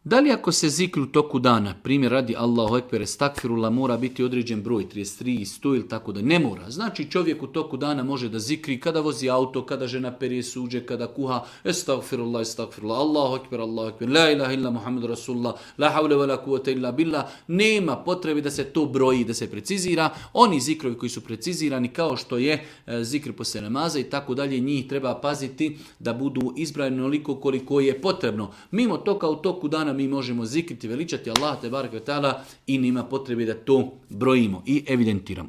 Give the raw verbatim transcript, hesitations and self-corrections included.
Da li ako se zikri u toku dana, primjer radi Allahu ekber, estakfirullah, mora biti određen broj, trideset tri, sto ili tako da ne mora. Znači čovjek u toku dana može da zikri kada vozi auto, kada žena perije suđe, kada kuha, estakfirullah, estakfirullah, Allahu ekber, Allahu ekber, la ilaha illa Muhammed Rasulullah, la havle wa la kuvvete illa billah. Nema potrebe da se to broji, da se precizira. Oni zikrovi koji su precizirani kao što je e, zikr poslije namaza i tako dalje, njih treba paziti da budu izbrojeni onoliko koliko je potrebno. Mimo toga u toku dana mi možemo zikriti, veličati Allah te barek ve taala i nema potrebe da to brojimo i evidentiramo.